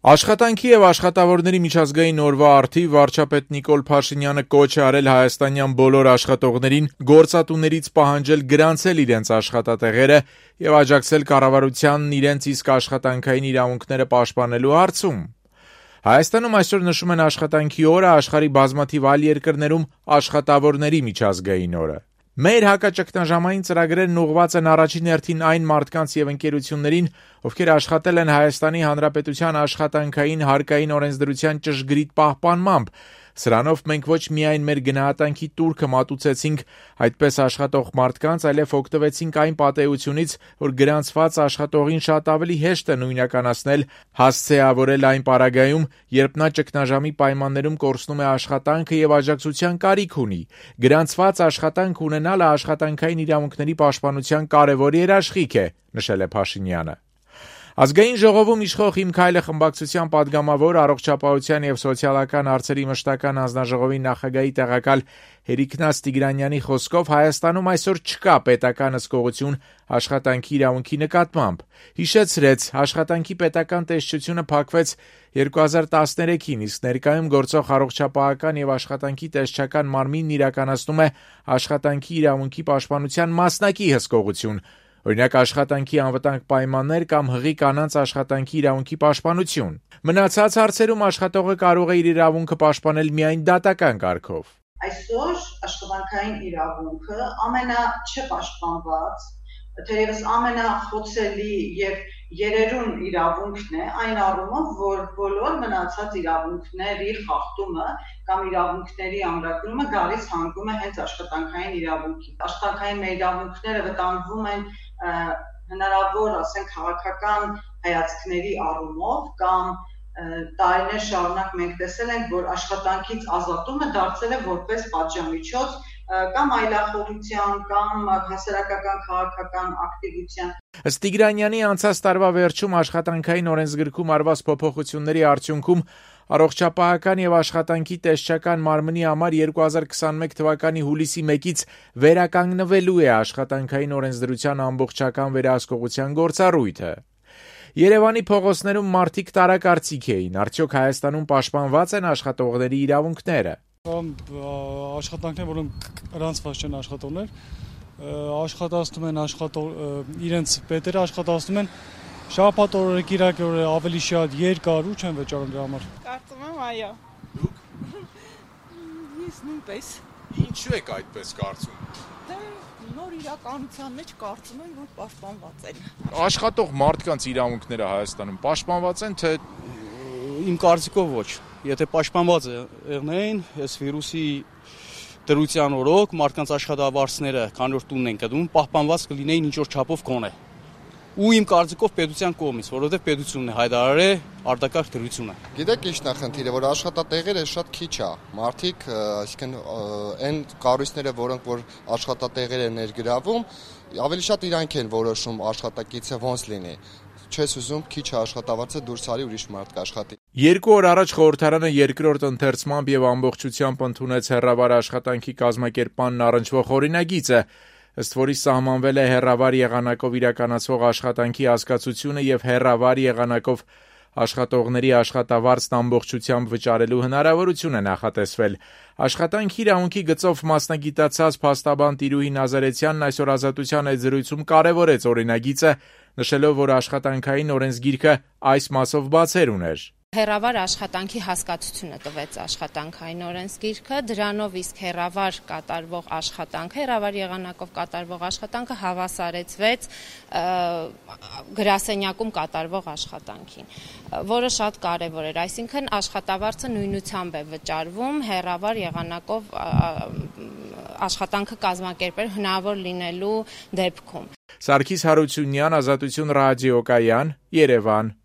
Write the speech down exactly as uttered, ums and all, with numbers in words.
Աշխատանքի եւ աշխատավորների միջազգային օրվա առթիվ վարչապետ Նիկոլ Փաշինյանը կոչ է արել հայաստանյան բոլոր աշխատողներին գործատուներից պահանջել գրանցել իրենց աշխատատեղերը եւ աջակցել կառավարությանն իրենց իսկ աշխատանքային իրավունքները պաշտպանելու հարցում։ Հայաստանում այսօր նշում են աշխատանքի օրը, աշխարհի բազմաթիվ այլ երկրներում աշխատավորների միջազգային օրը։ Մեր հակաճգնաժամային ծրագրերն ուղղված են առաջին հերթին այն մարդկանց եւ ընկերություններին, ովքեր աշխատել են Հայաստանի Հանրապետության աշխատանքային հարկային օրենսդրության ճշգրիտ պահպանմամբ։ Սրանով մենք ոչ միայն մեր գնահատանքի տուրքը մատուցեցինք այդպես աշխատող մարդկանց, այլև օգտվեցինք այն պատեհությունից, որ գրանցված աշխատողին շատ ավելի հեշտ է նույնականացնել, հասցեավորել այն պարագայում, երբ նա ճգնաժամի պայմաններում կորցնում է աշխատանքը եւ աջակցության կարիք ունի։ Գրանցված աշխատանք ունենալը աշխատանքային իրավունքների պաշտպանության կարևոր երաշխիք է, նշել է Փաշինյանը։ Ազգային ժողովում իշխող «Իմ քայլը» խմբակցության պատգամավոր, առողջապահության եւ սոցիալական հարցերի մշտական հանձնաժողովի նախագահի տեղակալ Հերիկնաց Տիգրանյանի խոսքով Հայաստանում այսօր չկա պետական հսկողություն աշխատանքի իրավունքի նկատմամբ։ Հիշեցրեց, աշխատանքի պետական տեսչությունը փակվեց երկու հազար տասներեքին, իսկ ներկայում գործող առողջապահական եւ աշխատանքի տեսչական մարմինն իրականացնում է աշխատանքի իրավունքի պաշտպանության մասնակի հսկողություն։ Օրինակ աշխատանքի անվտանգ պայմաններ կամ հղի կանանց աշխատանքի իրավունքի պաշտպանություն։ Մնացած հարցերում աշխատողը կարող է իր իրավունքը պաշտպանել միայն դատական կարգով։ Այսօր աշխատանքային իրավունքը ամենաչպաշտպանված, թերևս ամենախոցելի եւ երերուն իրավունքն է այն առումով, որ բոլոր մնացած իրավունքների խախտումը կամ իրավունքների ամրագրումը գալիս հանգում է հենց աշխատանքային իրավունքի։ Աշխատանքային մեր իրավունքները վտանգվում են հնարավոր, ասենք, քաղաքական հայացքների առումով կամ տարիներ շարունակ մենք տեսել ենք, որ աշխատանքից ազատումը դարձել է որպես պատժամիջոց կամ այլախոհության կամ հասարակական քաղաքական ակտիվության։ Ըստ Տիգրանյանի, անցած տարվա վերջում աշխատանքային օրենսգրքում արված փոփոխությունների արդյունքում առողջապահական եւ աշխատանքի տեսչական մարմնի համար երկու հազար քսաներեք թվականի հուլիսի մեկից վերականգնվելու է աշխատանքային օրենսդրության ամբողջական վերահսկողության գործառույթը։ Երևանի փողոցներում մարդիկ տարակարծիք էին, արդյոք Հայաստանում պաշտպանված են աշխատողների իրավունքները։ Աշխատանքներ, որոնք գրանցված չեն աշխատողներ, աշխատացնում են աշխատող իրենց պետերը աշխատացնում են շաբաթ օրը, կիրակի օրը ավելի շատ երկար ու չեն վճարում դրա համար։ Կարծում եմ, այո։ Դուք։ Ես նույնպես։ Ինչու եք այդպես կարծում։ Դե նոր իրականության մեջ կարծում եմ, որ պաշտպանված են։ Աշխատող մարդկանց իրավունքները Հայաստանում պաշտպանված են, թե իմ կարծիքով ոչ։ Եթե պաշտպանված եղնեին, այս վիրուսի դրության օրոք մարդկանց աշխատավարձները, քանի որ տունն են կդում, պահպանված կլինեին ինչ որ չափով գոնե։ Ու իմ կարծիքով պետության կողմից, որովհետև պետությունն է հայտարարել է արտակարգ դրությունը։ Գիտեք ինչն է խնդիրը, որ աշխատատեղերը շատ քիչ է։ Մարդիկ, այսինքն այն կառույցները, որոնք որ աշխատատեղեր են ներգրավում, ավելի շատ իրանք են որոշում աշխատակիցը ոնց լինի։ Չես ուզում քիչ աշխատավարձը դուրս արի ուրիշ մարդ կաշխատի։ Երկու օր առաջ խորհրդարանը երկրորդ ընթերցմամբ եւ ամբողջությամբ ընդունեց հեռավար աշխատանքի կազմակերպմանն առնչվող օրինագիծը, ըստ որի սահմանվել է հեռավար եղանակով իրականացվող աշխատանքի հասկացությունը եւ հեռավար եղանակով աշխատողների աշխատավարձն ամբողջությամբ վճարելու հնարավորություն է նախատեսվել։ Աշխատանքի իրավունքի գծով մասնագիտացած փաստաբան Տիրուհի Նազարեթյանն այսօր Ազատության այդ զրույցում կարևորեց օրինագիծը, նշելով, որ աշխատանքային օրենսգիրքը այս մասով բացեր ուներ։ Հեռավար աշխատանքի հասկացությունը տվեց աշխատանքային օրենսգիրքը, դրանով իսկ հեռավար կատարվող աշխատանքը, հեռավար եղանակով կատարվող աշխատանքը հավասարեցվեց գրասենյակում կատարվող աշխատանքին, որը շատ կարևոր էր, այսինքն աշխատավարձը նույնությամբ է վճարվում հեռավար եղանակով աշխատանքը կազմակերպել հնարավոր լինելու դեպքում։ Սարգիս Հարությունյան, Ազատություն ռադիոկայան, Երևան։